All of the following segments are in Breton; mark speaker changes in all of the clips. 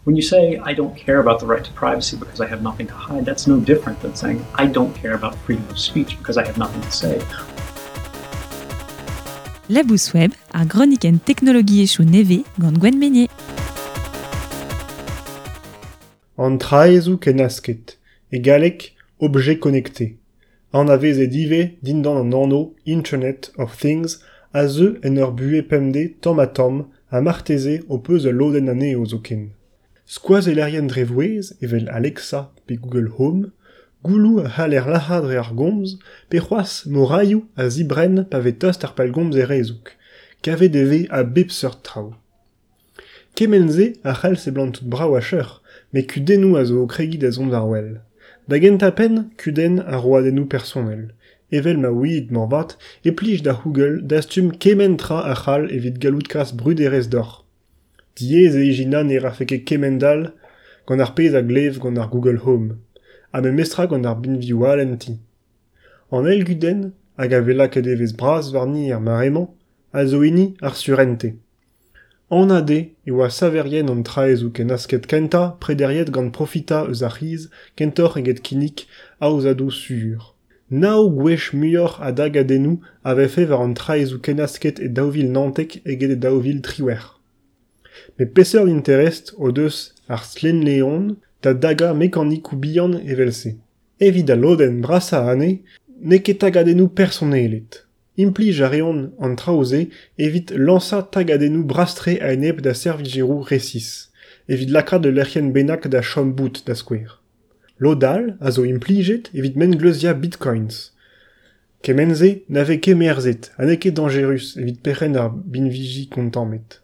Speaker 1: When you say, I don't care about the right to privacy because I have nothing to hide, that's no different than saying, I don't care about freedom of speech because I have nothing to say.
Speaker 2: Labous Web, ar gronikenn teknologiezhioù nevez gant Gwenn Meynier.
Speaker 3: An traezoù kennasket, e galleg objets connectés, anavezet ivez dindan an anv Internet of Things a zeu en ur buhez pemdez tamm-ha-tamm ha marteze ho peus ul lodenn anezho zoken. Skoazellerien dre vouezh evel Alexa pe Google Home, gouloù a c'haller lac'hañ dre ar gomz pe c'hoazh morailhoù a zibrenn pa vez tost ar pellgomz er hezoug. Kavet e vez a bep seurt traoù. Kement-se a c'hall seblantout brav ha cheuc'h, met kudennoù a zo o kregiñ da zont war-wel. Da gentañ-penn, kudenn ar roadennoù personel. Evel ma ouiit moarvat e plij da Google dastum kement tra a c'hall evit gallout kas bruderezh deoc'h. Diaes eo ijinañ ne rafe ket kemend-all gant ar pezh a glev gant ar Google Home, ha memestra gant ar binvioù all en ti. An eil gudenn, hag a vez lakaet evezh bras warni er mare-mañ, a zo hini ar surentez. Anat eo e oa saverien an traezoù kennasket kentañ prederiet gant profitañ eus ar c'hiz kentoc'h eget kinnig aozadoù sur. Nav gwech muioc'h a dagadennoù a vefe war an traezoù kennasket e 2019 eget e 2018. Met peseurt interest o deus ar stlennleon da dagañ mekanikoù bihan evel-se? Evit al lodenn brasañ anezhe n'eo ket tagadennoù personelet. Implij a reont an traoù-se evit lañsañ tagadennoù bras-tre a-enep da servijeroù resis, evit lakaat ul lec'hienn bennak da chom bout da skouer. Lod all a zo implijet evit mengleuziañ bitcoins. Kement-se na vez ket merzet ha n'eo ket dañjerus evit perc'henn ar binviji kontammet.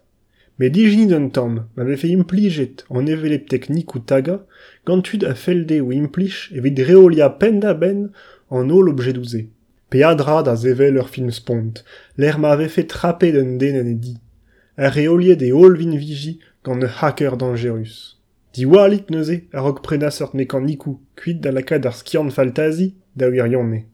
Speaker 3: Met ijinit un tamm ma vefe implijet an hevelep teknikoù tagañ gant tud a fell dezho implij evit reoliañ penn-da-benn an holl objedoù-se. Peadra da sevel ur film spont, lec'h ma vefe trapet un den en e di, ha reoliet e holl vinviji gant ur hacker dañjerus. Diwallit neuze a-raok prenañ seurt mekanikoù kuit da lakaat ar skiant-faltazi da wirionez.